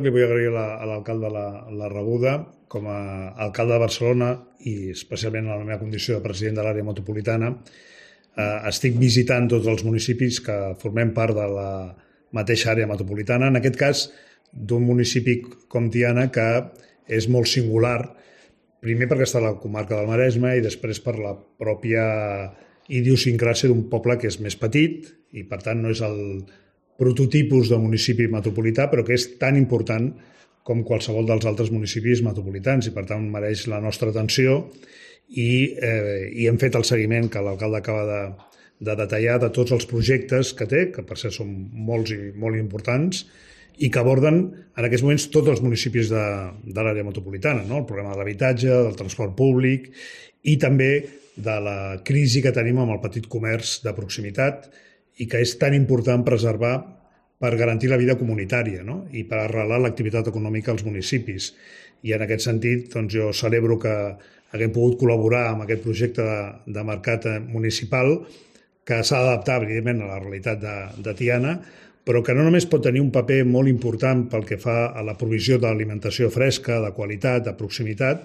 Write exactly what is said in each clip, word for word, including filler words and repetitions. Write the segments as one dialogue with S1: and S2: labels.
S1: Li vull agrair a l'alcalde la, la rebuda. Com a alcalde de Barcelona i especialment en la meva condició de president de l'àrea metropolitana, eh, estic visitant tots els municipis que formem part de la mateixa àrea metropolitana, en aquest cas d'un municipi com Tiana que és molt singular, primer perquè està a la comarca del Maresme i després per la pròpia idiosincràsia d'un poble que és més petit i per tant no és el prototipus de municipi metropolità, però que és tan important com qualsevol dels altres municipis metropolitans i per tant mereix la nostra atenció i, eh, i hem fet el seguiment que l'alcalde acaba de, de detallar de tots els projectes que té, que per cert són molts i molt importants i que aborden en aquests moments tots els municipis de, de l'àrea metropolitana, no? El problema de l'habitatge, del transport públic i també de la crisi que tenim amb el petit comerç de proximitat i que és tan important preservar per garantir la vida comunitària, no? I per arrelar l'activitat econòmica als municipis. I en aquest sentit doncs, jo celebro que haguem pogut col·laborar amb aquest projecte de, de mercat municipal que s'ha d'adaptar, evidentment, a la realitat de, de Tiana, però que no només pot tenir un paper molt important pel que fa a la provisió d'alimentació fresca, de qualitat, de proximitat,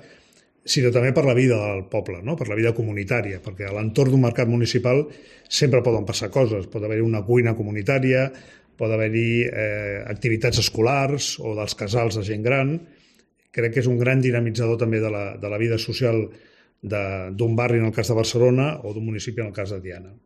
S1: sinó també per la vida del poble, no? Per la vida comunitària, perquè a l'entorn d'un mercat municipal sempre poden passar coses. Pot haver-hi una cuina comunitària, pot haver-hi eh, activitats escolars o dels casals de gent gran. Crec que és un gran dinamitzador també de la, de la vida social d'un barri en el cas de Barcelona o d'un municipi en el cas de Tiana.